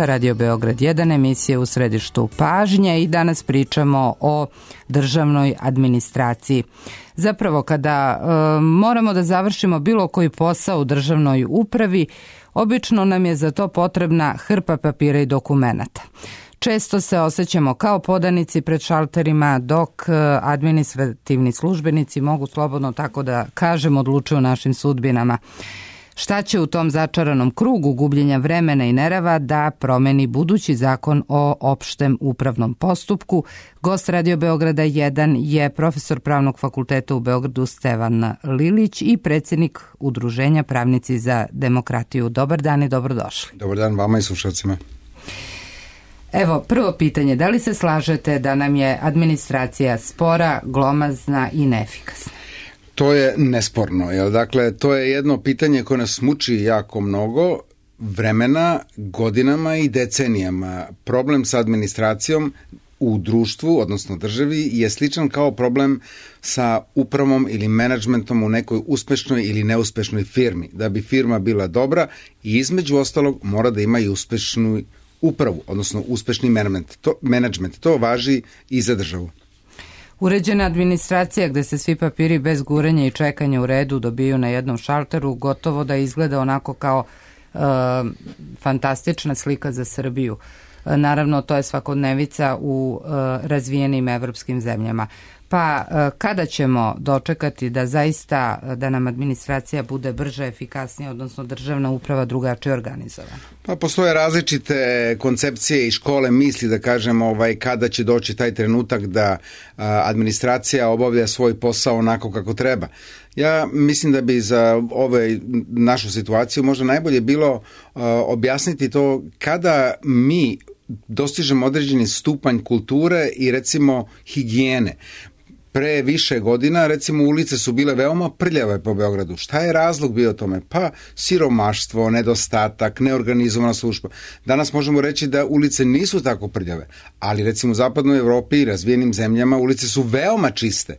Radio Beograd 1, emisija u središtu pažnje i danas pričamo o državnoj administraciji. Zapravo kada moramo da završimo bilo koji posao u državnoj upravi, obično nam je za to potrebna hrpa papira i dokumenata. Često se osjećamo kao podanici pred šalterima, dok administrativni službenici mogu slobodno tako da kažem odlučuju o našim sudbinama. Šta će u tom začaranom krugu gubljenja vremena i nerava da promeni budući zakon o opštem upravnom postupku? Gost Radio Beograda 1 je profesor Pravnog fakulteta u Beogradu Stevan Lilić i predsjednik Udruženja Pravnici za demokratiju. Dobar dan i dobrodošli. Dobar dan vama i slušalcima. Evo, prvo pitanje, da li se slažete da nam je administracija spora, glomazna i neefikasna? To je nesporno, jel? Dakle, to je jedno pitanje koje nas muči jako mnogo vremena, godinama i decenijama. Problem sa administracijom u društvu, odnosno državi, je sličan kao problem sa upravom ili menadžmentom u nekoj uspešnoj ili neuspešnoj firmi. Da bi firma bila dobra i između ostalog mora da ima i uspešnu upravu, odnosno uspešni menadžment. To važi i za državu. Uređena administracija gde se svi papiri bez gurenja i čekanja u redu dobiju na jednom šalteru gotovo da izgleda onako kao fantastična slika za Srbiju. Naravno, to je svakodnevica u razvijenim evropskim zemljama. Pa kada ćemo dočekati da zaista da nam administracija bude brža, efikasnija, odnosno državna uprava drugačije organizovana? Pa postoje različite koncepcije i škole misli da kažemo kada će doći taj trenutak da administracija obavlja svoj posao onako kako treba. Ja mislim da bi za našu situaciju možda najbolje bilo objasniti to kada mi dostižemo određeni stupanj kulture i recimo higijene. Pre više godina, recimo, ulice su bile veoma prljave po Beogradu. Šta je razlog bio tome? Pa siromaštvo, nedostatak, neorganizovana služba. Danas možemo reći da ulice nisu tako prljave, ali recimo u zapadnoj Evropi i razvijenim zemljama ulice su veoma čiste.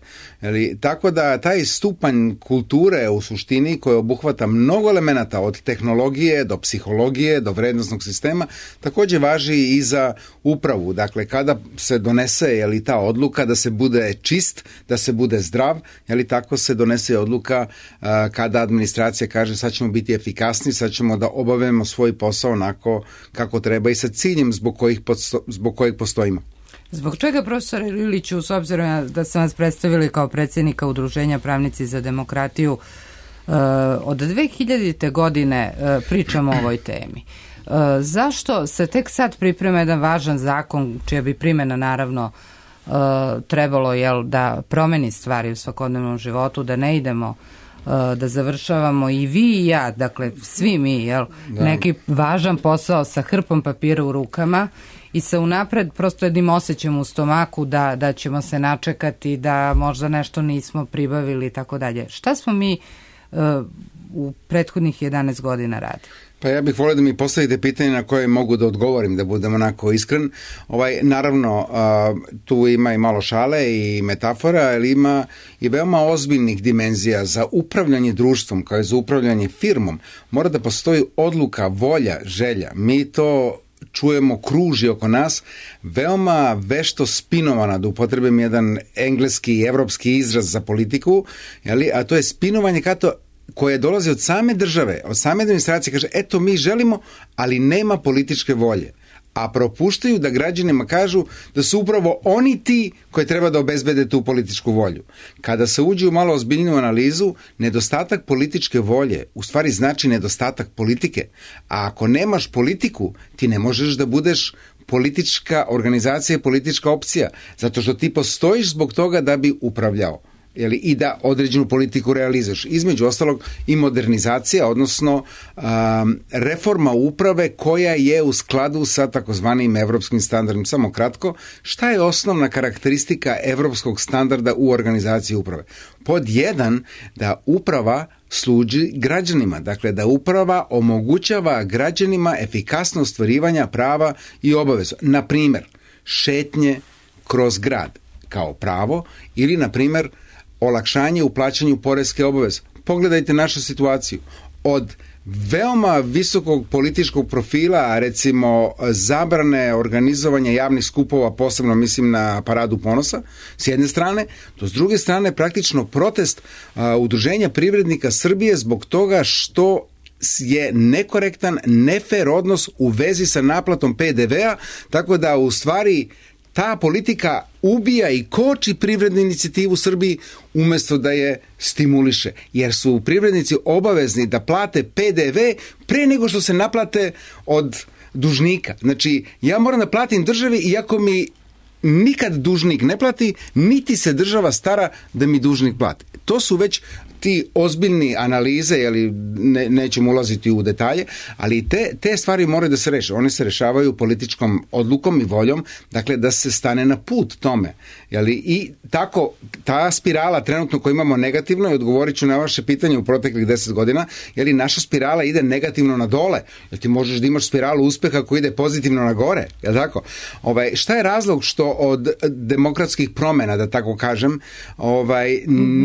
Tako da taj stupanj kulture u suštini koji obuhvata mnogo elemenata od tehnologije do psihologije, do vrednosnog sistema, takođe važi i za upravu. Dakle, kada se donese ta odluka da se bude čist, da se bude zdrav, tako se donese odluka kada administracija kaže sad ćemo biti efikasni, sad ćemo da obavimo svoj posao onako kako treba i sa ciljem zbog kojeg postojimo. Zbog čega, profesore Liliću, s obzirom da sam vas predstavili kao predsjednika Udruženja Pravnici za demokratiju, od 2000. godine pričamo o ovoj temi? Zašto se tek sad priprema jedan važan zakon, čija bi primjena naravno trebalo da promeni stvari u svakodnevnom životu, da ne idemo da završavamo i vi i ja, dakle svi mi, neki važan posao sa hrpom papira u rukama i sa unapred prosto jednim osjećam u stomaku da ćemo se načekati, da možda nešto nismo pribavili i tako dalje. Šta smo mi u prethodnih 11 godina radili? Pa ja bih volio da mi postavite pitanje na koje mogu da odgovorim, da budem onako iskren. Naravno, tu ima i malo šale i metafora, ali ima i veoma ozbiljnih dimenzija za upravljanje društvom, kao i za upravljanje firmom. Mora da postoji odluka, volja, želja. Mi to čujemo kruži oko nas, veoma vešto spinovana, da upotrebim jedan engleski i evropski izraz za politiku, a to je spinovanje koje dolazi od same države, od same administracije, kaže, eto mi želimo, ali nema političke volje. A propuštaju da građanima kažu da su upravo oni ti koji treba da obezbede tu političku volju. Kada se uđe u malo ozbiljniju analizu, nedostatak političke volje u stvari znači nedostatak politike. A ako nemaš politiku, ti ne možeš da budeš politička organizacija, politička opcija, zato što ti postojiš zbog toga da bi upravljao. I da određenu politiku realizuješ. Između ostalog i modernizacija, odnosno reforma uprave koja je u skladu sa takozvanim evropskim standardom. Samo kratko, šta je osnovna karakteristika evropskog standarda u organizaciji uprave? Pod 1, da uprava služi građanima, dakle da uprava omogućava građanima efikasno ostvarivanja prava i obaveza. Na primjer, šetnje kroz grad kao pravo ili, na primjer, olakšanje u plaćanju poreske obaveze. Pogledajte našu situaciju. Od veoma visokog političkog profila, recimo zabrane organizovanja javnih skupova, posebno mislim na Paradu ponosa, s jedne strane, to s druge strane praktično protest Udruženja privrednika Srbije zbog toga što je nekorektan, nefer odnos u vezi sa naplatom PDV-a, tako da u stvari ta politika ubija i koči privrednu inicijativu u Srbiji umjesto da je stimuliše, jer su privrednici obavezni da plate PDV pre nego što se naplate od dužnika. Znači, ja moram da platim državi iako mi nikad dužnik ne plati, niti se država stara da mi dužnik plati. To su već ti ozbiljni analize, nećemo ulaziti u detalje, ali te stvari moraju da se reše. One se rešavaju političkom odlukom i voljom, dakle da se stane na put tome. I tako, ta spirala trenutno koju imamo negativno, i odgovorit ću na vaše pitanje u proteklih 10 godina, naša spirala ide negativno na dole, jer ti možeš da imaš spiralu uspeha koja ide pozitivno na gore, je li tako? Šta je razlog što od demokratskih promena, da tako kažem,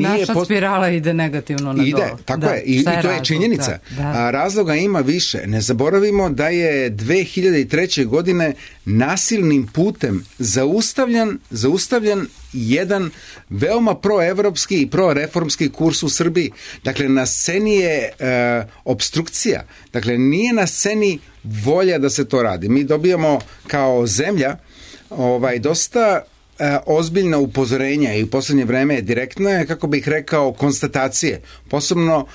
naša spirala ide negativno na dole. Tako je. I to je činjenica. Da. Razloga ima više. Ne zaboravimo da je 2003. godine nasilnim putem zaustavljan jedan veoma proevropski i proreformski kurs u Srbiji. Dakle, na sceni je opstrukcija. Dakle, nije na sceni volja da se to radi. Mi dobijamo kao zemlja dosta ozbiljna upozorenja i u posljednje vreme direktno je, kako bih rekao, konstatacije. Posebno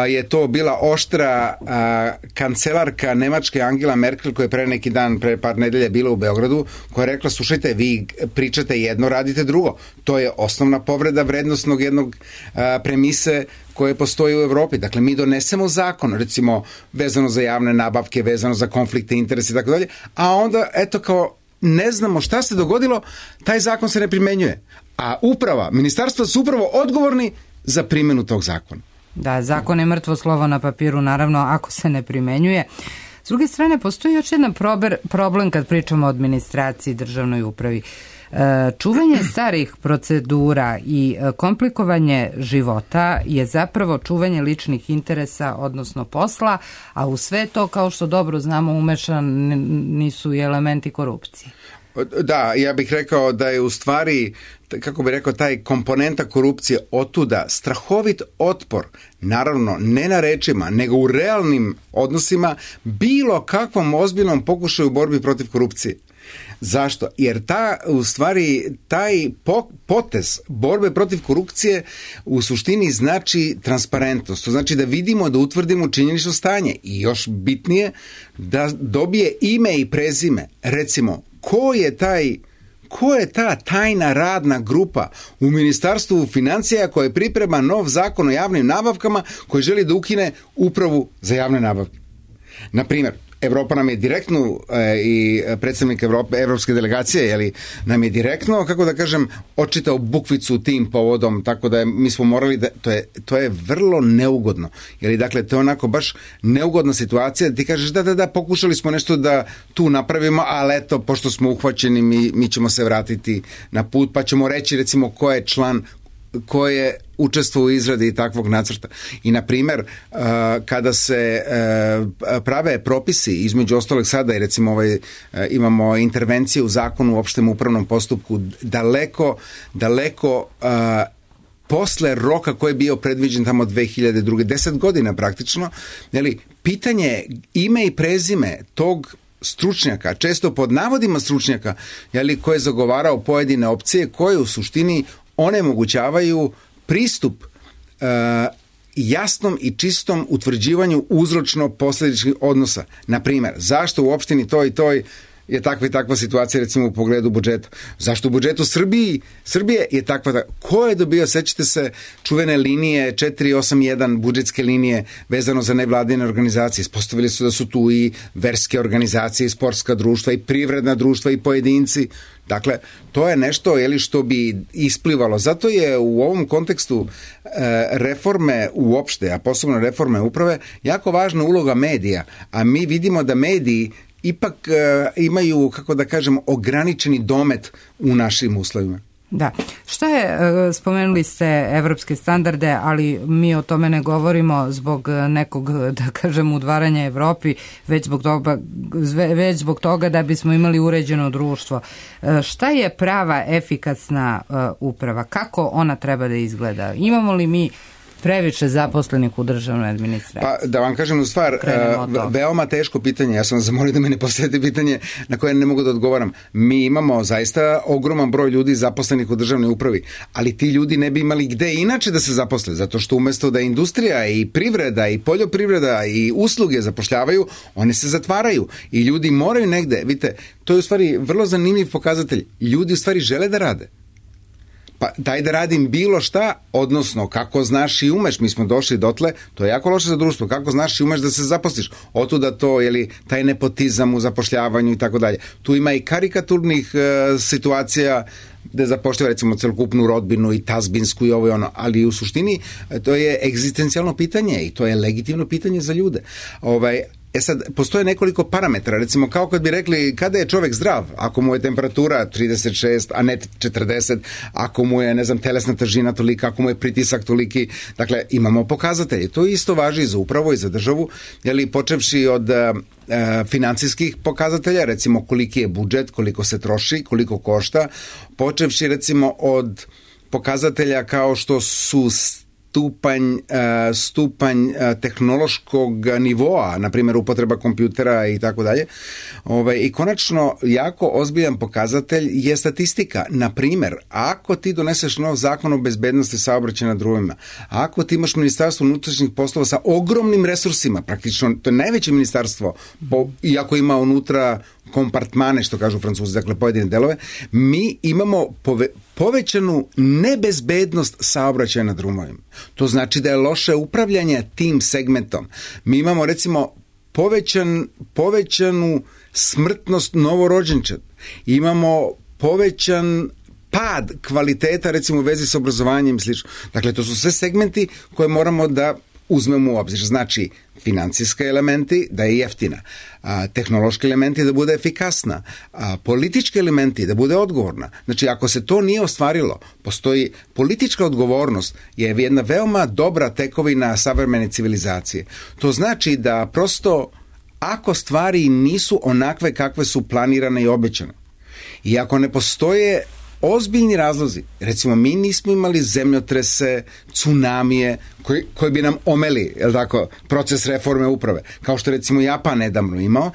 je to bila oštra kancelarka Nemačke Angela Merkel, koja je pre par nedelja bila u Beogradu, koja je rekla, slušajte, vi pričate jedno, radite drugo. To je osnovna povreda vrednostnog jednog premise koje postoji u Evropi. Dakle, mi donesemo zakon, recimo, vezano za javne nabavke, vezano za konflikte interesa i tako dalje, a onda, eto, kao ne znamo šta se dogodilo, taj zakon se ne primenjuje. A ministarstva su upravo odgovorni za primjenu tog zakona. Da, zakon je mrtvo slovo na papiru, naravno, ako se ne primenjuje. S druge strane, postoji još jedan problem kad pričamo o administraciji, državnoj upravi. Čuvanje starih procedura i komplikovanje života je zapravo čuvanje ličnih interesa, odnosno posla, a u sve to, kao što dobro znamo, umešani su i elementi korupcije. Da, ja bih rekao da je u stvari, kako bih rekao, taj komponenta korupcije otuda strahovit otpor, naravno ne na rečima, nego u realnim odnosima, bilo kakvom ozbiljnom pokušaju borbi protiv korupcije. Zašto? Jer taj potez borbe protiv korupcije u suštini znači transparentnost. To znači da vidimo, da utvrdimo činjenično stanje i još bitnije da dobije ime i prezime. Recimo, ko je ta tajna radna grupa u Ministarstvu financija koja priprema nov zakon o javnim nabavkama koji želi da ukine upravu za javne nabavke? Na primjer, Evropa nam je direktno i predstavnik evropske delegacije nam je direktno, kako da kažem, očitao bukvicu tim povodom, tako da mi smo morali da, to je vrlo neugodno. Dakle, to je onako baš neugodna situacija da ti kažeš da, pokušali smo nešto da tu napravimo, ali eto, pošto smo uhvaćeni, mi ćemo se vratiti na put, pa ćemo reći recimo ko je član, ko je učestvovao u izradi takvog nacrta. I na primjer, kada se prave propisi, između ostalog sada, recimo imamo intervencije u zakonu u opštem upravnom postupku daleko posle roka koji je bio predviđen tamo 2002. 10 godina praktično, pitanje ime i prezime tog stručnjaka, često pod navodima stručnjaka, koji je zagovarao pojedine opcije koje u suštini onemogućavaju pristup jasnom i čistom utvrđivanju uzročno-posledičnih odnosa. Na primjer, zašto u opštini toj i toj je takva i takva situacija, recimo u pogledu budžeta? Zašto u budžetu Srbije je takva? Ko je dobio, sećate se, čuvene linije 481 budžetske linije vezano za nevladine organizacije? Ispostavili su da su tu i verske organizacije, i sportska društva, i privredna društva, i pojedinci. Dakle, to je nešto što bi isplivalo. Zato je u ovom kontekstu reforme uopšte, a posebno reforme uprave, jako važna uloga medija. A mi vidimo da mediji ipak imaju, kako da kažem, ograničeni domet u našim uslovima. Da. Šta je, spomenuli ste evropske standarde, ali mi o tome ne govorimo zbog nekog, da kažem, udvaranja Evropi, već zbog toga da bismo imali uređeno društvo. Šta je prava efikasna uprava? Kako ona treba da izgleda? Imamo li mi previše zaposlenih u državnoj administraciji? Pa da vam kažem u stvar, veoma teško pitanje, ja sam vas zamolio da me ne postavite pitanje na koje ne mogu da odgovaram. Mi imamo zaista ogroman broj ljudi zaposlenih u državnoj upravi, ali ti ljudi ne bi imali gde inače da se zaposle, zato što umesto da industrija i privreda i poljoprivreda i usluge zapošljavaju, one se zatvaraju i ljudi moraju negde, vidite, to je u stvari vrlo zanimljiv pokazatelj. Ljudi u stvari žele da rade. Pa daj da radim bilo šta, odnosno kako znaš i umeš, mi smo došli dotle, to je jako loše za društvo, kako znaš i umeš da se zaposliš, otuda to, taj nepotizam u zapošljavanju i tako dalje. Tu ima i karikaturnih situacija gde zapošljava recimo celokupnu rodbinu i tazbinsku i ovo i ono, ali u suštini to je egzistencijalno pitanje i to je legitimno pitanje za ljude. Sad, postoje nekoliko parametara, recimo kao kad bi rekli kada je čovek zdrav, ako mu je temperatura 36, a ne 40, ako mu je, ne znam, telesna težina tolika, ako mu je pritisak toliki, dakle, imamo pokazatelje. To isto važi i za upravu i za državu, počevši od financijskih pokazatelja, recimo koliki je budžet, koliko se troši, koliko košta, počevši recimo od pokazatelja kao što su stupanj tehnološkog nivoa, na primjer upotreba kompjutera i tako dalje. I konačno, jako ozbiljan pokazatelj je statistika. Na primjer, ako ti doneseš nov zakon o bezbednosti saobraćaja na drumima, ako ti imaš Ministarstvo unutrašnjih poslova sa ogromnim resursima, praktično, to je najveće ministarstvo, iako ima unutra kompartmane, što kažu Francuzi, dakle pojedine delove, mi imamo povećanu nebezbednost saobraćaja na drumovima. To znači da je loše upravljanje tim segmentom. Mi imamo recimo povećanu smrtnost novorođenčad. Imamo povećan pad kvaliteta recimo u vezi sa obrazovanjem i slično. Dakle, to su sve segmenti koje moramo da uzmemo u obzir. Znači, financijske elementi da je jeftina, tehnološki elementi da bude efikasna, politički elementi da bude odgovorna. Znači, ako se to nije ostvarilo, postoji politička odgovornost je jedna veoma dobra tekovina savremene civilizacije. To znači da prosto ako stvari nisu onakve kakve su planirane i obećane i ako ne postoje ozbiljni razlozi, recimo mi nismo imali zemljotrese, tsunamije koji bi nam omeli, proces reforme uprave, kao što recimo Japan nedavno imao,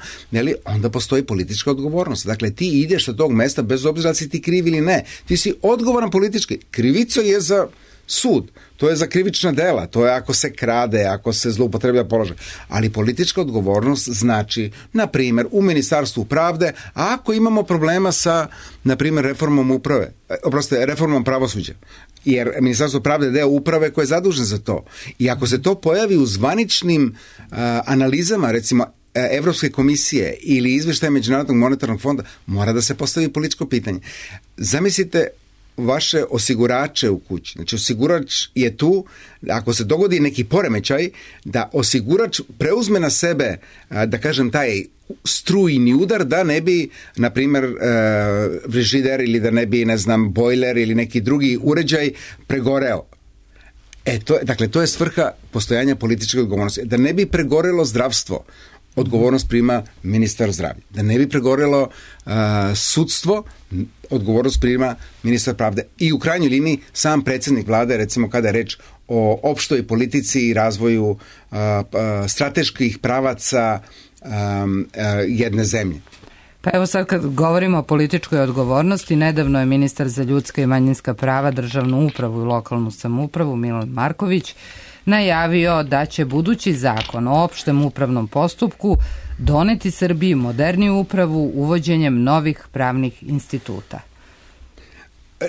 onda postoji politička odgovornost. Dakle, ti ideš sa tog mesta bez obzira da si ti kriv ili ne. Ti si odgovoran politički. Krivica je za sud, to je za krivična dela, to je ako se krade, ako se zloupotrebljava položaj. Ali politička odgovornost znači, na primjer, u Ministarstvu pravde, a ako imamo problema sa, na primjer, reformom uprave, reformom pravosuđa, jer Ministarstvo pravde je deo uprave koje je zadužen za to. I ako se to pojavi u zvaničnim analizama, recimo, Evropske komisije ili izveštaje Međunarodnog monetarnog fonda, mora da se postavi političko pitanje. Zamislite vaše osigurače u kući. Znači, osigurač je tu, ako se dogodi neki poremećaj, da osigurač preuzme na sebe, da kažem, taj strujni udar, da ne bi, na primjer, frižider ili da ne bi, ne znam, bojler ili neki drugi uređaj pregoreo. Dakle, to je svrha postojanja političke odgovornosti. Da ne bi pregorelo zdravstvo, odgovornost prima ministar zdravlja. Da ne bi pregorelo sudstvo, odgovornost prima ministar pravde. I u krajnjoj liniji sam predsjednik vlade, recimo kada je reč o opštoj politici i razvoju strateških pravaca jedne zemlje. Pa evo sad kad govorimo o političkoj odgovornosti, nedavno je ministar za ljudska i manjinska prava, državnu upravu i lokalnu samoupravu Milan Marković najavio da će budući zakon o opštem upravnom postupku doneti Srbiji moderniju upravu uvođenjem novih pravnih instituta.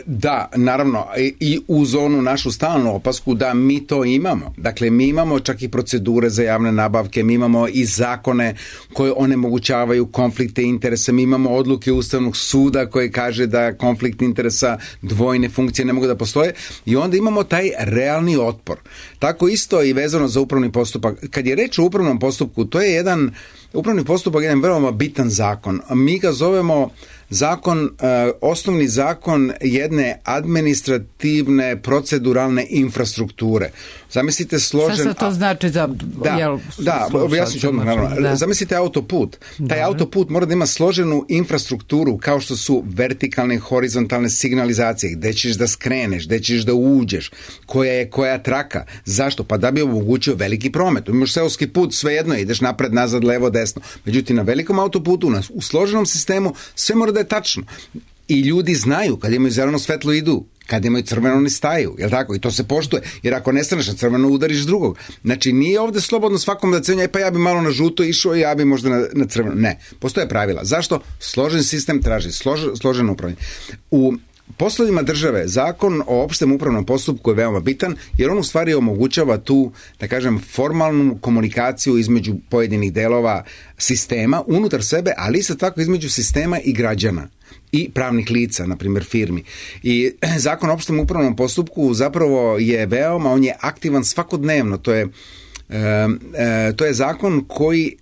Da, naravno, i uz onu našu stalnu opasku da mi to imamo. Dakle, mi imamo čak i procedure za javne nabavke, mi imamo i zakone koje onemogućavaju konflikte interesa, mi imamo odluke Ustavnog suda koje kaže da konflikt interesa, dvojne funkcije ne mogu da postoje i onda imamo taj realni otpor. Tako isto i vezano za upravni postupak. Kad je reč o upravnom postupku, to je jedan upravni postupak je jedan veoma bitan zakon. Mi ga zovemo osnovni zakon jedne administrativne proceduralne infrastrukture. Zamislite složen... Šta se to znači za... Da, objasnit ću odmah, naravno. Zamislite autoput. Taj autoput mora da ima složenu infrastrukturu kao što su vertikalne i horizontalne signalizacije, gde ćeš da skreneš, gde ćeš da uđeš, koja je koja traka. Zašto? Pa da bi omogućio veliki promet. Imaš seoski put, svejedno ideš napred, nazad, levo, desno. Međutim, na velikom autoputu, u složenom sistemu, sve mora da je tačno. I ljudi znaju, kad imaju zeleno svetlo idu, kad imaju crveno ne staju, jel tako? I to se poštuje, jer ako ne staneš na crveno, udariš drugog. Znači, nije ovde slobodno svakom da cenja, pa ja bi malo na žuto išao i ja bi možda na crveno. Ne, postoje pravila. Zašto? Složen sistem traži složeno upravljanje. U poslovima države, zakon o opštem upravnom postupku je veoma bitan, jer on u stvari omogućava tu, da kažem, formalnu komunikaciju između pojedinih delova sistema, unutar sebe, ali isto tako između sistema i građana i pravnih lica, na primjer firmi. I zakon o opštem upravnom postupku zapravo je veoma, on je aktivan svakodnevno. To je zakon koji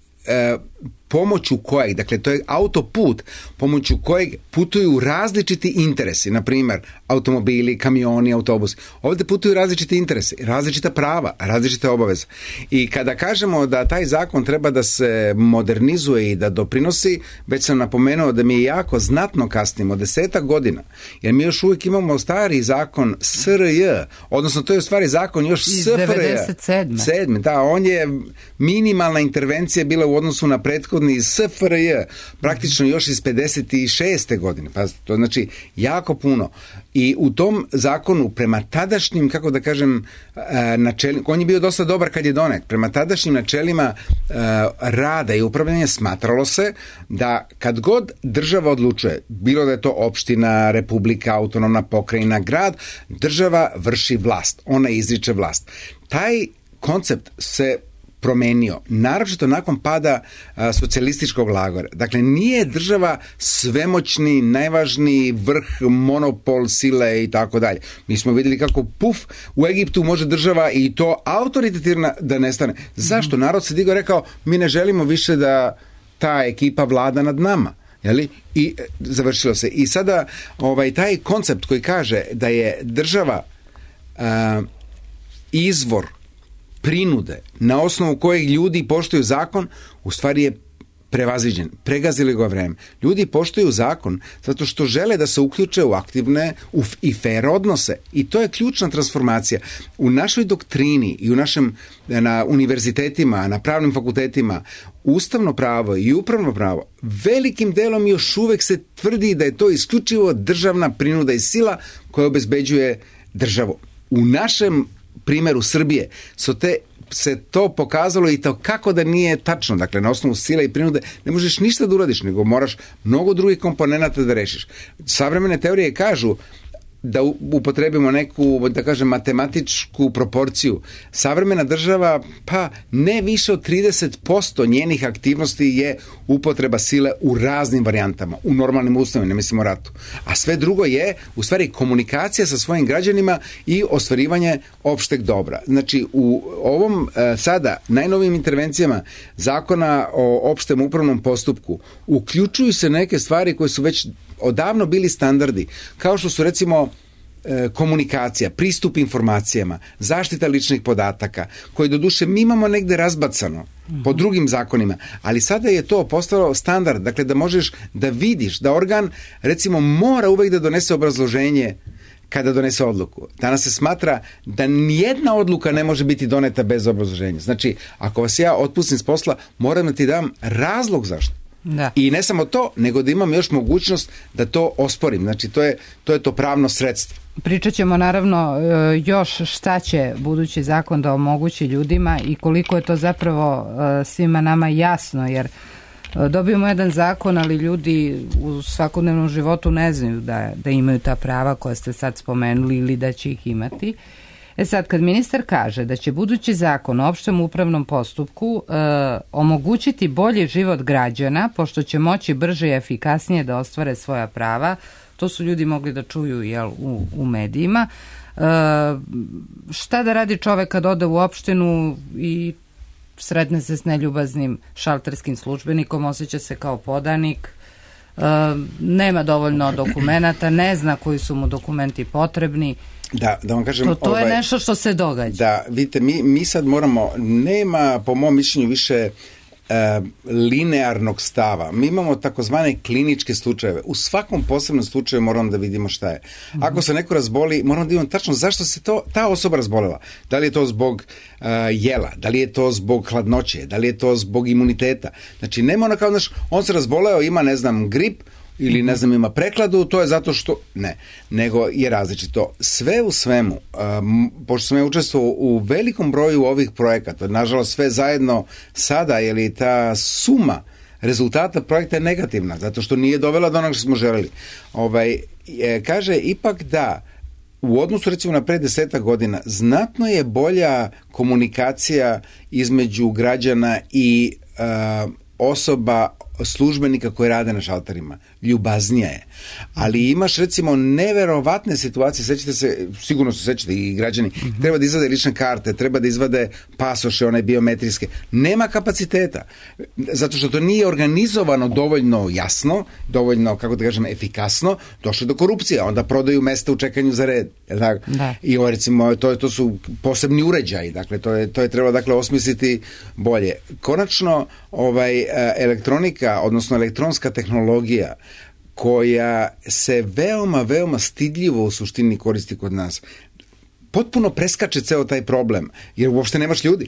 pomoću kojeg, dakle to je autoput pomoću kojeg putuju različiti interesi, na primjer automobili, kamioni, autobusi. Ovdje putuju različiti interesi, različita prava, različite obaveze. I kada kažemo da taj zakon treba da se modernizuje i da doprinosi, već sam napomenuo da mi jako znatno kasnimo, 10 godina, jer mi još uvijek imamo stari zakon SRJ, odnosno to je u stvari zakon još iz SFRJ. 97. Da, on je minimalna intervencija bila u odnosu na prethodni SFRJ, praktično još iz 56. godine. Pa to znači jako puno. I u tom zakonu prema tadašnjim, kako da kažem, načelima, on je bio dosta dobar kad je donet, prema tadašnjim načelima rada i upravljanja smatralo se da kad god država odlučuje, bilo da je to opština, republika, autonomna pokrajina, grad, država vrši vlast, ona izriče vlast. Taj koncept se promenio, naročito nakon pada socijalističkog lagora. Dakle, nije država svemoćni, najvažniji vrh, monopol, sile i tako dalje. Mi smo vidjeli kako u Egiptu može država i to autoritativna da nestane. Zašto? Narod se digao i rekao, mi ne želimo više da ta ekipa vlada nad nama. Jeli? I završilo se. I sada taj koncept koji kaže da je država izvor prinude na osnovu kojeg ljudi poštuju zakon, u stvari je prevaziđen. Pregazili ga vreme. Ljudi poštuju zakon zato što žele da se uključe u aktivne i fair odnose. I to je ključna transformacija. U našoj doktrini i na univerzitetima, na pravnim fakultetima, ustavno pravo i upravno pravo velikim delom još uvek se tvrdi da je to isključivo državna prinuda i sila koja obezbeđuje državu. U našem primjeru Srbije se to pokazalo i to kako da nije tačno. Dakle, na osnovu sile i prinude ne možeš ništa da uradiš, nego moraš mnogo drugih komponenata da rešiš. Savremene teorije kažu da upotrebimo neku, da kažem, matematičku proporciju. Savremena država, pa ne više od 30% njenih aktivnosti je upotreba sile u raznim varijantama, u normalnim uslovima, ne mislimo o ratu. A sve drugo je, u stvari, komunikacija sa svojim građanima i ostvarivanje opšteg dobra. Znači, u ovom sada najnovijim intervencijama zakona o opštem upravnom postupku uključuju se neke stvari koje su već odavno bili standardi, kao što su recimo komunikacija, pristup informacijama, zaštita ličnih podataka, koje doduše mi imamo negde razbacano po drugim zakonima, ali sada je to postalo standard, dakle da možeš da vidiš da organ recimo mora uvek da donese obrazloženje kada donese odluku. Danas se smatra da nijedna odluka ne može biti doneta bez obrazloženja. Znači, ako vas ja otpustim s posla, moram da ti dam razlog zašto. Da. I ne samo to, nego da imam još mogućnost da to osporim. Znači, to je to pravno sredstvo. Pričat ćemo naravno još šta će budući zakon da omogući ljudima i koliko je to zapravo svima nama jasno, jer dobijemo jedan zakon, ali ljudi u svakodnevnom životu ne znaju da imaju ta prava koja ste sad spomenuli ili da će ih imati. Sad, kad ministar kaže da će budući zakon o opštem upravnom postupku omogućiti bolji život građana, pošto će moći brže i efikasnije da ostvare svoja prava, to su ljudi mogli da čuju u medijima. Šta da radi čovek kad ode u opštinu i sretne se s neljubaznim šalterskim službenikom, osjeća se kao podanik, nema dovoljno dokumenata, ne zna koji su mu dokumenti potrebni. Da vam kažem, to je nešto što se događa. Da, vidite, mi sad moramo, nema po mom mišljenju više linearnog stava. Mi imamo takozvane kliničke slučajeve. U svakom posebnom slučaju moramo da vidimo šta je. Ako se neko razboli, moramo da vidimo tačno zašto se ta osoba razbolela. Da li je to zbog jela, da li je to zbog hladnoće, da li je to zbog imuniteta. Znači, nema ono kao, on se razboleo, ima, ne znam, grip, ili ne znam, ima prekladu, to je zato što ne, nego je različito. Sve u svemu, pošto sam ja učestvovao u velikom broju ovih projekata, nažalost sve zajedno sada, je li ta suma rezultata projekta je negativna, zato što nije dovela do onoga što smo želeli. Kaže ipak da u odnosu recimo na pre 10 godina znatno je bolja komunikacija između građana i osoba, službenika koji rade na šalterima. Ljubaznija je. Ali imaš recimo neverovatne situacije, sećate se, sigurno se sećate i građani, treba da izvade lične karte, treba da izvade pasoše, one biometrijske. Nema kapaciteta. Zato što to nije organizovano dovoljno jasno, dovoljno, kako da kažem, efikasno, došlo do korupcije. Onda prodaju mesta u čekanju za red. Da. I ovo recimo, to su posebni uređaji. Dakle, to je treba osmisliti bolje. Konačno, elektronika, odnosno elektronska tehnologija koja se veoma, veoma stidljivo u suštini koristi kod nas, potpuno preskače ceo taj problem, jer uopšte nemaš ljudi.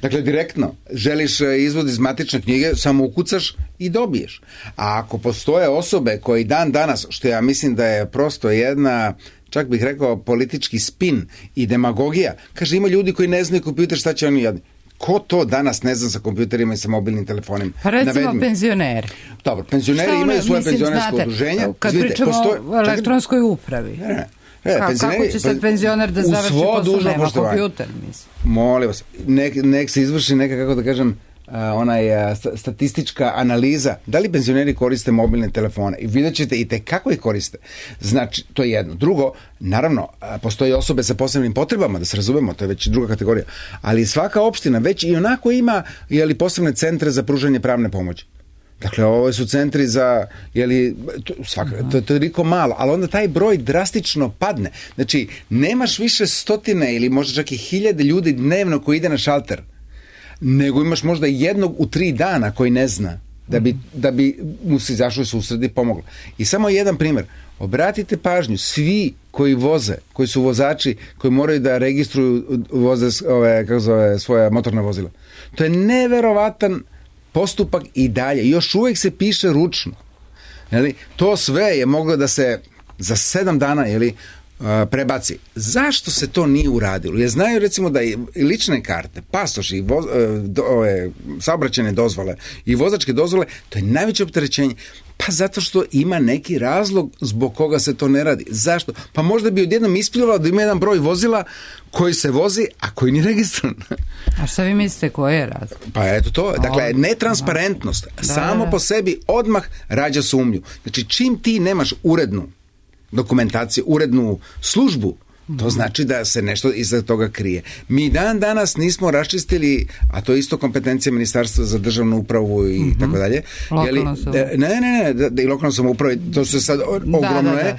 Dakle, direktno, želiš izvod iz matične knjige, samo ukucaš i dobiješ. A ako postoje osobe koji dan danas, što ja mislim da je prosto jedna, čak bih rekao, politički spin i demagogija, kaže, ima ljudi koji ne znaju kompjuter, šta će oni jadni. Ko to danas ne zna sa kompjuterima i sa mobilnim telefonima? Pa recimo penzioneri. Dobro, penzioneri imaju svoje penzionersko udruženje. Kad pričamo o elektronskoj upravi. Kako će sad penzioner da završi posao? Nema kompjuter, mislim. Molim vas, nek se izvrši neka, kako da kažem, statistička analiza, da li penzioneri koriste mobilne telefone, i vidjet ćete i kako ih koriste. Znači, to je jedno. Drugo, naravno, postoje osobe sa posebnim potrebama, da se razumemo, to je već druga kategorija, ali svaka opština već i onako ima posebne centre za pružanje pravne pomoći. Dakle, ovo su centri za, to je toliko malo, ali onda taj broj drastično padne. Znači, nemaš više stotine ili možda čak i 1000 ljudi dnevno koji ide na šalter, nego imaš možda jednog u 3 dana koji ne zna da bi mu se izašlo u susret i pomoglo. I samo jedan primjer. Obratite pažnju, svi koji voze, koji su vozači, koji moraju da registruju svoja motorna vozila. To je neverovatan postupak i dalje. Još uvijek se piše ručno. To sve je moglo da se za 7 dana prebaci. Zašto se to nije uradilo? Jer znaju recimo da i lične karte, pasoši, saobraćajne dozvole i vozačke dozvole, to je najveće opterećenje. Pa zato što ima neki razlog zbog koga se to ne radi. Zašto? Pa možda bi odjednom isplivalo da ima jedan broj vozila koji se vozi, a koji nije registrovan. A šta vi mislite, koji je razlog? Pa eto to, dakle, netransparentnost samo po sebi odmah rađa sumnju. Znači, čim ti nemaš urednu dokumentaciju, urednu službu, to znači da se nešto iza toga krije. Mi danas nismo raščistili, a to je isto kompetencija Ministarstva za državnu upravu i tako dalje. Lokalno samoupravu. Ne, i lokalno samoupravu, to se sad ogromno je,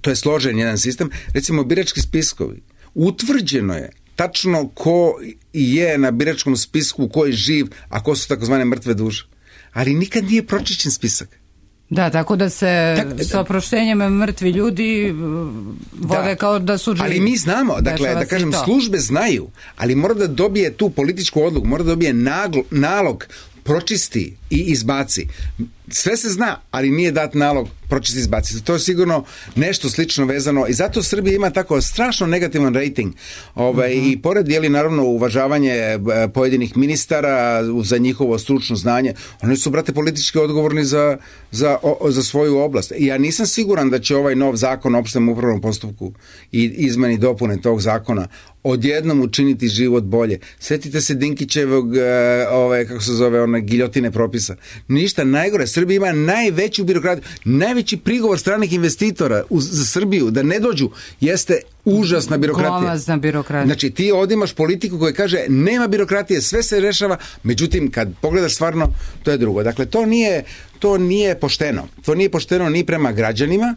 to je složen jedan sistem. Recimo, birački spiskovi. Utvrđeno je tačno ko je na biračkom spisku, ko je živ, a ko su takozvane mrtve duše. Ali nikad nije pročišćen spisak. Da, tako da se sa oproštenjem mrtvi ljudi vode kao da su živi. Ali mi znamo, dakle, da kažem, službe znaju, ali mora da dobije tu političku odluku, mora da dobije nalog, pročisti i izbaci. Sve se zna, ali nije dat nalog pročisti i izbaci. To je sigurno nešto slično vezano i zato Srbija ima tako strašno negativan rating. I pored naravno uvažavanje pojedinih ministara za njihovo stručno znanje, oni su, brate, politički odgovorni za svoju oblast. I ja nisam siguran da će ovaj nov zakon o opštem upravnom postupku i izmeni dopune tog zakona odjednom učiniti život bolje. Sjetite se Dinkićevog, giljotine propisa propisa. Ništa najgore. Srbija ima najveću birokratiju. Najveći prigovor stranih investitora za Srbiju da ne dođu jeste užasna birokratija. Glomazna birokratija. Znači ti ovdje imaš politiku koja kaže nema birokratije, sve se rešava, međutim kad pogledaš stvarno to je drugo. Dakle to nije pošteno. To nije pošteno ni prema građanima,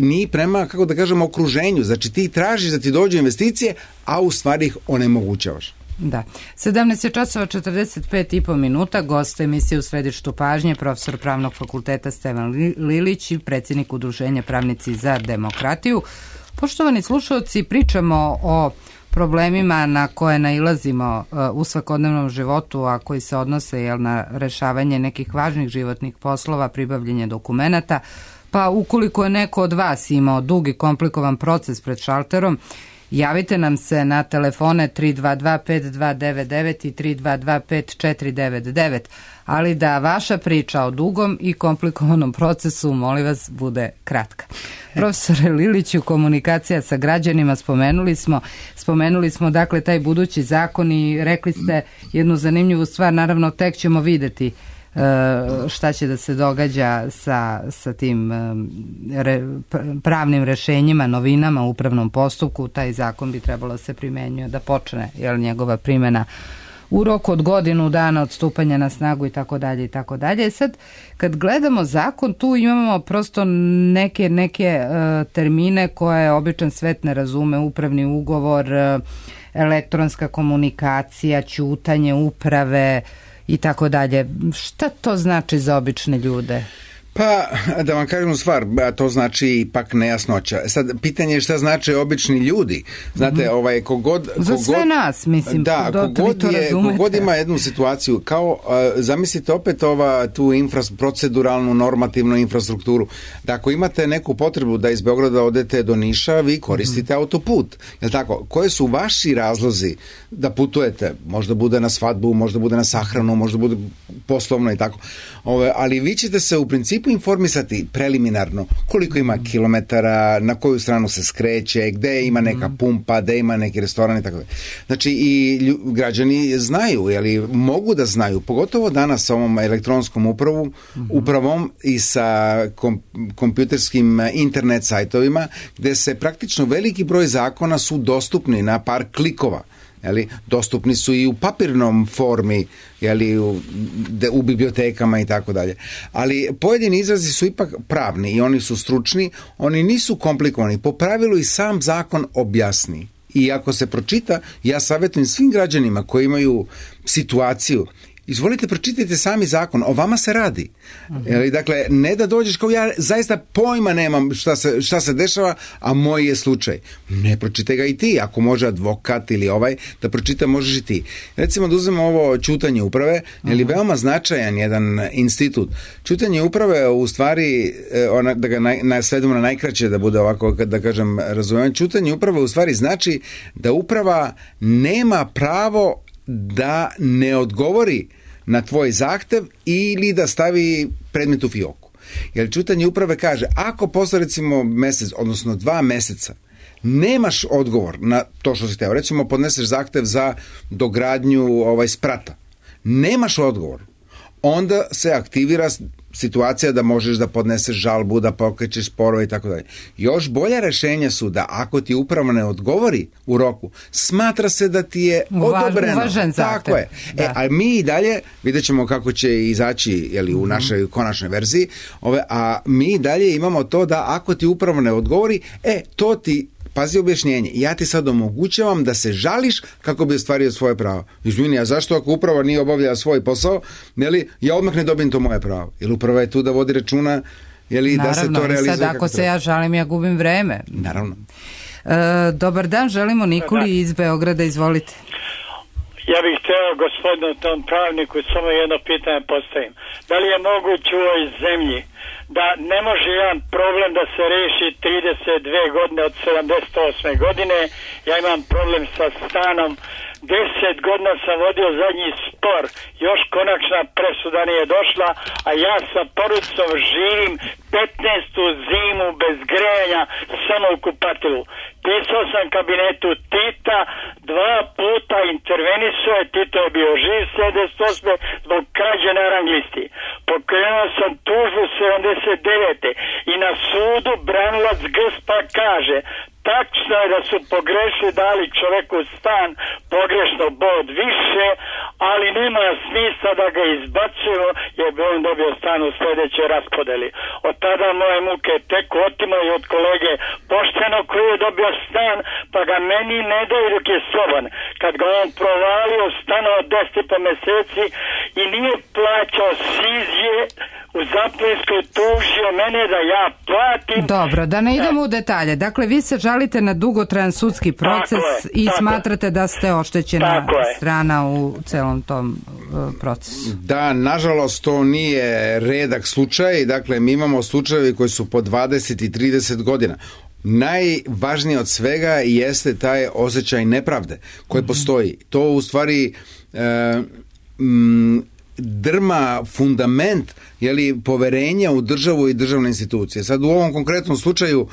ni prema, kako da kažemo, okruženju. Znači ti tražiš da ti dođu investicije, a u stvari ih onemogućavaš. Da. 17 je časova 45,5 minuta. Gost emisije U središtu pažnje, profesor Pravnog fakulteta Stevan Lilić i predsjednik Udruženja Pravnici za demokratiju. Poštovani slušalci, pričamo o problemima na koje nailazimo u svakodnevnom životu, a koji se odnose na rešavanje nekih važnih životnih poslova, pribavljanje dokumenata, pa ukoliko je neko od vas imao dug i komplikovan proces pred šalterom, javite nam se na telefone 322-5299 i 322-5499, ali da vaša priča o dugom i komplikovanom procesu, molim vas, bude kratka. Profesore Liliću, komunikacija sa građanima, spomenuli smo dakle taj budući zakon i rekli ste jednu zanimljivu stvar, naravno tek ćemo videti šta će da se događa sa tim pravnim rešenjima, novinama u upravnom postupku. Taj zakon bi trebalo se primenjuje da počne njegova primjena u roku od godinu dana od stupanja na snagu i tako dalje i tako dalje. Sad kad gledamo zakon, tu imamo prosto neke termine koje običan svet ne razume, upravni ugovor, elektronska komunikacija, ćutanje uprave i tako dalje. Šta to znači za obične ljude? Pa, da vam kažem stvar, to znači ipak nejasnoća. Sad, pitanje je šta znači obični ljudi. Znate, za sve nas, mislim. Da, kogod ima jednu situaciju, kao, zamislite opet tu proceduralnu, normativnu infrastrukturu. Da ako imate neku potrebu da iz Beograda odete do Niša, vi koristite autoput. Jel tako? Koje su vaši razlozi da putujete? Možda bude na svadbu, možda bude na sahranu, možda bude poslovno i tako. Ali vi ćete se u principu informisati preliminarno koliko ima kilometara, na koju stranu se skreće, gde ima neka pumpa, gde ima neki restoran i tako dalje. Znači i građani znaju, mogu da znaju, pogotovo danas sa ovom elektronskom upravom i sa kompjuterskim internet sajtovima, gde se praktično veliki broj zakona su dostupni na par klikova. Dostupni su i u papirnom formi, u bibliotekama i tako dalje. Ali pojedini izrazi su ipak pravni i oni su stručni, oni nisu komplikovani. Po pravilu i sam zakon objasni. I ako se pročita, ja savjetujem svim građanima koji imaju situaciju, izvolite, pročitajte sami zakon, o vama se radi. Dakle, ne da dođeš kao ja zaista pojma nemam šta se dešava, a moj je slučaj. Ne, pročitaj ga i ti, ako može advokat ili da pročita, možeš i ti. Recimo da uzmemo ovo ćutanje uprave, veoma značajan jedan institut. Ćutanje uprave u stvari, da ga svedemo na najkraće, da bude ovako, da kažem, razumijem, ćutanje uprave u stvari znači da uprava nema pravo da ne odgovori na tvoj zahtev ili da stavi predmet u fioku. Jer ćutanje uprave kaže, ako posle recimo mesec, odnosno 2 meseca, nemaš odgovor na to što si teo, recimo podneseš zahtev za dogradnju sprata, nemaš odgovor, onda se aktivira situacija da možeš da podneseš žalbu, da pokrećeš sporove i tako dalje. Još bolja rešenja su da ako ti uprava ne odgovori u roku, smatra se da ti je odobreno. Uvažen zahtev. Tako je. A mi i dalje, vidjet ćemo kako će izaći u našoj konačnoj verziji, a mi i dalje imamo to da ako ti uprava ne odgovori, to ti, pazi objašnjenje, ja ti sad omogućavam da se žališ kako bi ostvario svoje pravo. Izvini, a zašto ako uprava nije obavljala svoj posao, ja odmah ne dobijem to moje pravo? Jer uprava je tu da vodi računa, da se to realizuje. Naravno, i sad ako se ja žalim, ja gubim vreme. Naravno. Dobar dan, želimo Nikoli iz Beograda, izvolite. Ja bih htio gospodinu tom pravniku samo jedno pitanje postavim. Da li je moguće u ovoj zemlji da ne može jedan problem da se reši 32 godine od 78. godine. Ja imam problem sa stanom. 10 godina sam vodio zadnji spor, još konačna presuda nije došla, a ja sa porodicom živim 15. zimu bez grejanja samo u kupatilu. Pisao sam kabinetu Tita, 2 puta intervenisao je, Tito je bio živ 78. zbog krađe na rang listi. Pokrenuo sam tužbu 79. i na sudu branilac Gspa kaže: tačno je da su pogrešili, dali čoveku stan, pogrešno bod više, ali nema smisla da ga izbacujemo, jer bi on dobio stan u sljedećoj raspodeli. Od tada moje muke tek otimo i od kolege pošteno koji je dobio stan, pa ga meni ne daju dok je slobodan. Kad ga on provalio stano od 10,5 meseci i nije plaćao sizje, u Zaplinskoj tužio mene da ja platim. Dobro, da ne idemo u detalje. Dakle, vi se žalite na dugotrajan sudski proces i smatrate da ste oštećena strana u celom tom procesu. Da, nažalost, to nije redak slučaj. Dakle, mi imamo slučajevi koji su po 20 i 30 godina. Najvažnije od svega jeste taj osjećaj nepravde koji postoji. To u stvari drma fundament poverenja u državu i državne institucije. Sad u ovom konkretnom slučaju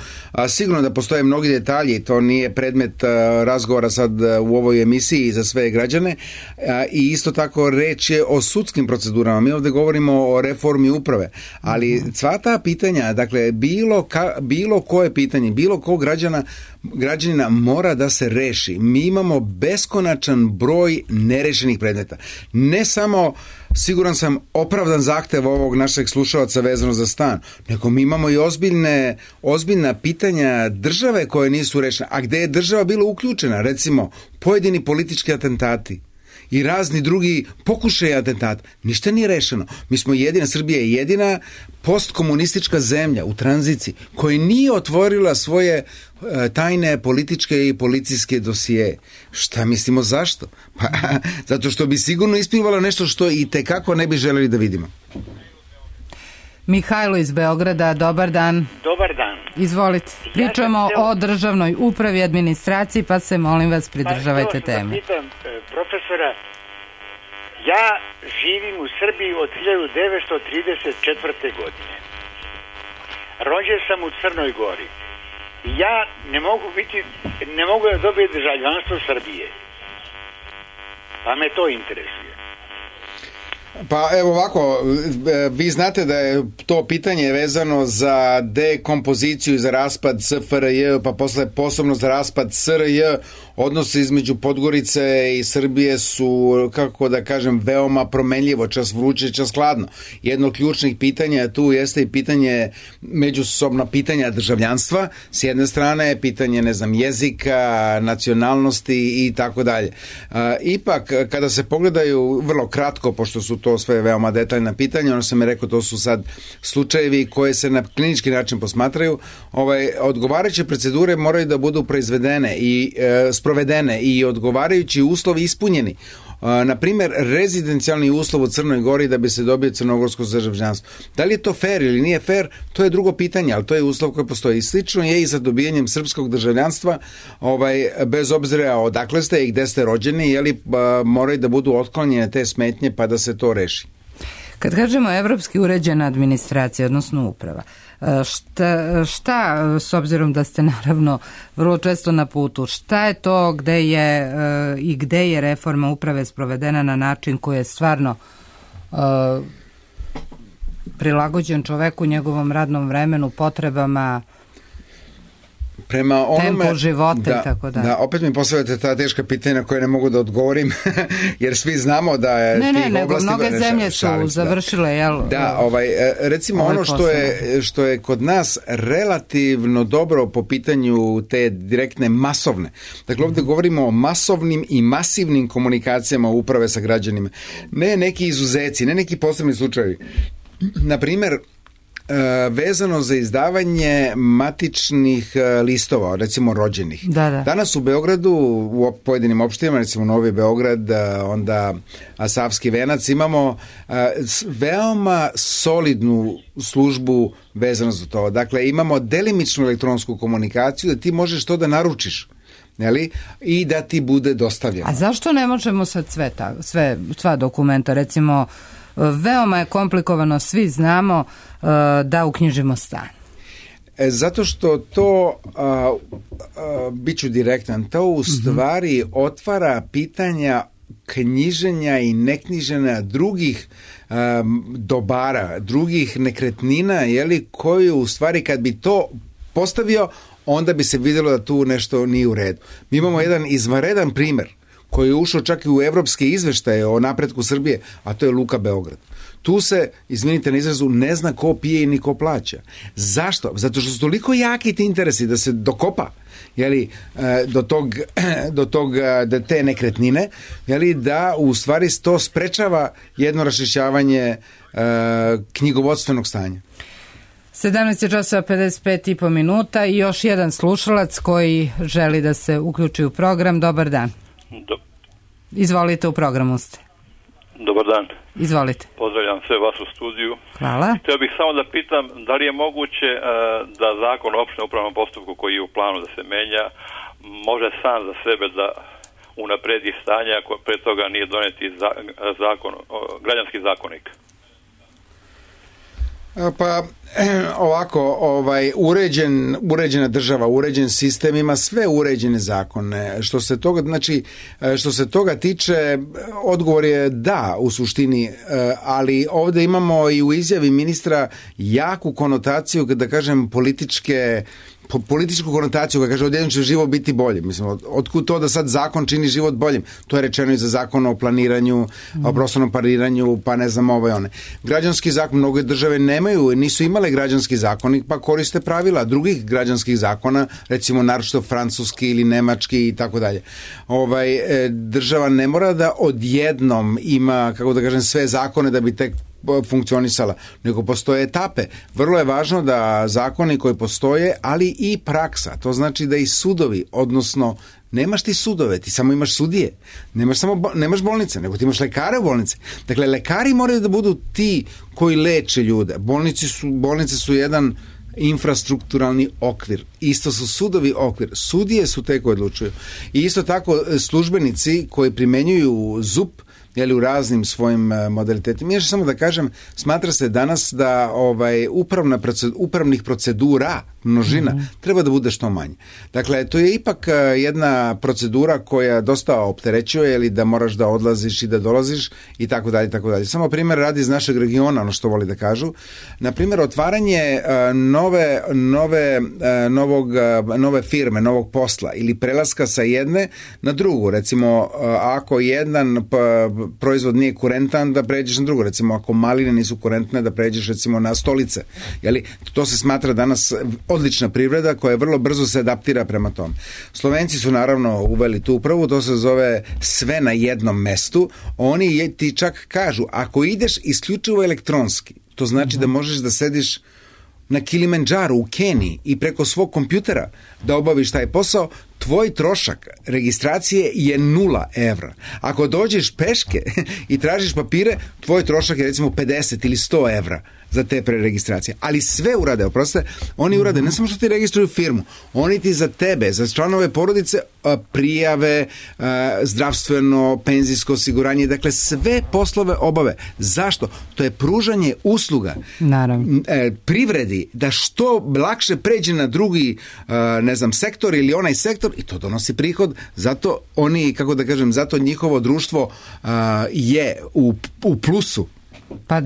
sigurno da postoje mnogi detalji, to nije predmet razgovora sad u ovoj emisiji za sve građane, i isto tako reč je o sudskim procedurama. Mi ovdje govorimo o reformi uprave, ali sva ta pitanja, dakle bilo koje pitanje, bilo kog građanina mora da se reši. Mi imamo beskonačan broj nerešenih predmeta. Ne samo, siguran sam, opravdan zahtev ovog našeg slušalca vezano za stan, nego mi imamo i ozbiljna pitanja države koje nisu rešene, a gde je država bila uključena, recimo pojedini politički atentati i razni drugi pokušaji atentata. Ništa nije rešeno. Mi smo Srbija je jedina postkomunistička zemlja u tranziciji koja nije otvorila svoje tajne političke i policijske dosije. Šta mislimo zašto? Pa, zato što bi sigurno isplivalo nešto što i tekako ne bi želeli da vidimo. Mihajlo iz Beograda, dobar dan. Dobar dan. Izvolite. Pričamo o državnoj upravi i administraciji, pa se molim vas pridržavajte teme. Da pitam profesora, ja živim u Srbiji od 1934. godine. Rođen sam u Crnoj Gori. Ja ne mogu da dobijem državljanstvo Srbije. Pa me to interesuje. Pa evo ovako, vi znate da je to pitanje vezano za dekompoziciju i za raspad SFRJ, pa posle posebno za raspad SRJ. Odnosi između Podgorice i Srbije su, kako da kažem, veoma promenljivo, čas vruće, čas hladno. Jedno od ključnih pitanja tu jeste i pitanje, međusobno pitanja državljanstva, s jedne strane pitanje, jezika, nacionalnosti i tako dalje. Ipak, kada se pogledaju vrlo kratko, pošto su to sve veoma detaljna pitanja, ono sam je rekao, to su sad slučajevi koje se na klinički način posmatraju, odgovarajuće procedure moraju da budu proizvedene i sprovedene i odgovarajući uslovi ispunjeni. Na primjer, rezidencijalni uslov u Crnoj Gori da bi se dobio crnogorsko državljanstvo. Da li je to fair ili nije fair, to je drugo pitanje, ali to je uslov koji postoji. I slično je i sa dobijanjem srpskog državljanstva, bez obzira odakle ste i gde ste rođeni, moraju da budu otklonjene te smetnje pa da se to reši. Kad kažemo evropski uređena administracija, odnosno uprava, šta, s obzirom da ste naravno vrlo često na putu, šta je to gde je reforma uprave sprovedena na način koji je stvarno prilagođen čoveku, njegovom radnom vremenu, potrebama, tempo života i tako dalje. Da, opet mi postavljate ta teška pitanja koje ne mogu da odgovorim, jer svi znamo da je nego mnoge zemlje su završile, recimo ono što je kod nas relativno dobro po pitanju te direktne masovne. Dakle, ovdje govorimo o masovnim i masivnim komunikacijama uprave sa građanima. Ne neki izuzeci, ne neki posebni slučajevi. Na primjer, vezano za izdavanje matičnih listova, recimo rođenih. Da. Danas u Beogradu, u pojedinim opštinama, recimo Novi Beograd, onda Savski Venac, imamo veoma solidnu službu vezano za to. Dakle, imamo delimičnu elektronsku komunikaciju da ti možeš to da naručiš. I da ti bude dostavljeno. A zašto ne možemo sad sva dokumenta, recimo veoma je komplikovano, svi znamo da uknjižimo stan? Zato što to, bit ću direktan, to u stvari otvara pitanja knjiženja i neknjiženja drugih dobara, drugih nekretnina, koju u stvari kad bi to postavio, onda bi se vidjelo da tu nešto nije u redu. Mi imamo jedan izvanredan primer koji je ušao čak i u evropske izveštaje o napretku Srbije, a to je Luka Beograd. Tu se, izvinite na izrazu, ne zna ko pije i ni ko plaća. Zašto? Zato što su toliko jaki ti interesi da se dokopa do te nekretnine, da u stvari to sprečava jedno raščišćavanje knjigovodstvenog stanja. 17 časova 55,5 minuta i još jedan slušalac koji želi da se uključi u program. Dobar dan. Izvolite, u programu ste. Dobar dan. Izvolite. Pozdravljam sve vas u studiju. Hvala. Htio bih samo da pitam da li je moguće da zakon o opštem upravnom postupku koji je u planu da se menja može sam za sebe da unapredi stanje ako pre toga nije doneti građanski zakonik. Pa ovako, uređena država, uređen sistem ima sve uređene zakone. Što se toga tiče, odgovor je da u suštini, ali ovdje imamo i u izjavi ministra jaku konotaciju, da kažem političku konotaciju koja kaže odjednom će život biti bolji. Mislim, otkud to da sad zakon čini život boljim? To je rečeno i za zakon o planiranju, o prostornom planiranju, pa ne znam one. Građanski zakon, mnoge države nisu imale građanski zakonik, pa koriste pravila drugih građanskih zakona, recimo naročito francuski ili nemački i tako dalje. Država ne mora da odjednom ima, kako da kažem, sve zakone da bi tek funkcionisala, nego postoje etape. Vrlo je važno da zakoni koji postoje, ali i praksa. To znači da i sudovi, odnosno nemaš ti sudove, ti samo imaš sudije. Nemaš bolnice, nego ti imaš lekare u bolnici. Dakle, lekari moraju da budu ti koji leče ljude. Bolnice su jedan infrastrukturalni okvir. Isto su sudovi okvir. Sudije su te koje odlučuju. I isto tako službenici koji primenjuju ZUP u raznim svojim modalitetima. Još samo da kažem, smatra se danas da upravnih procedura, množina, treba da bude što manje. Dakle, to je ipak jedna procedura koja dosta opterećuje, ili da moraš da odlaziš i da dolaziš i tako dalje, tako dalje. Samo primjer radi iz našeg regiona, ono što voli da kažu. Na primjer, otvaranje nove firme, novog posla ili prelaska sa jedne na drugu. Recimo, ako jedan proizvod nije kurentan, da pređeš na drugo. Recimo, ako maline nisu kurentne, da pređeš recimo na stolice. To se smatra danas odlična privreda koja vrlo brzo se adaptira prema tom. Slovenci su naravno uveli tu upravu, to se zove sve na jednom mestu. Oni ti čak kažu, ako ideš isključivo elektronski, to znači da možeš da sediš na Kilimandžaru u Keniji i preko svog kompjutera da obaviš taj posao, tvoj trošak registracije je 0 evra. Ako dođeš peške i tražiš papire, tvoj trošak je recimo 50 ili 100 evra za te preregistracije. Ali sve urade, oni urade, ne samo što ti registruju firmu, oni ti za tebe, za članove porodice prijave, zdravstveno, penzijsko osiguranje, dakle sve poslove obave. Zašto? To je pružanje usluga privredi da što lakše pređe na drugi sektor ili onaj sektor i to donosi prihod. Zato oni, kako da kažem, zato njihovo društvo je u plusu. Pa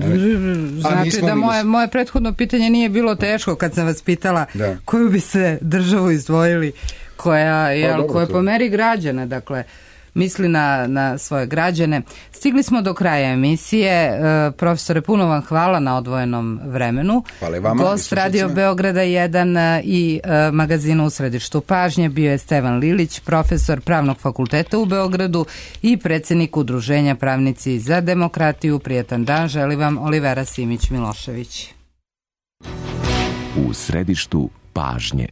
znači da moje prethodno pitanje nije bilo teško kad sam vas pitala koju bi se državu izdvojili koja po meri građana, dakle misli na svoje građane. Stigli smo do kraja emisije. Profesore, puno vam hvala na odvojenom vremenu. Hvala i vama. Gost Radio Beograda 1 i magazina U središtu pažnje bio je Stevan Lilić, profesor Pravnog fakulteta u Beogradu i predsjednik Udruženja Pravnici za demokratiju. Prijetan dan želi vam Olivera Simić Milošević. u središtu pažnje.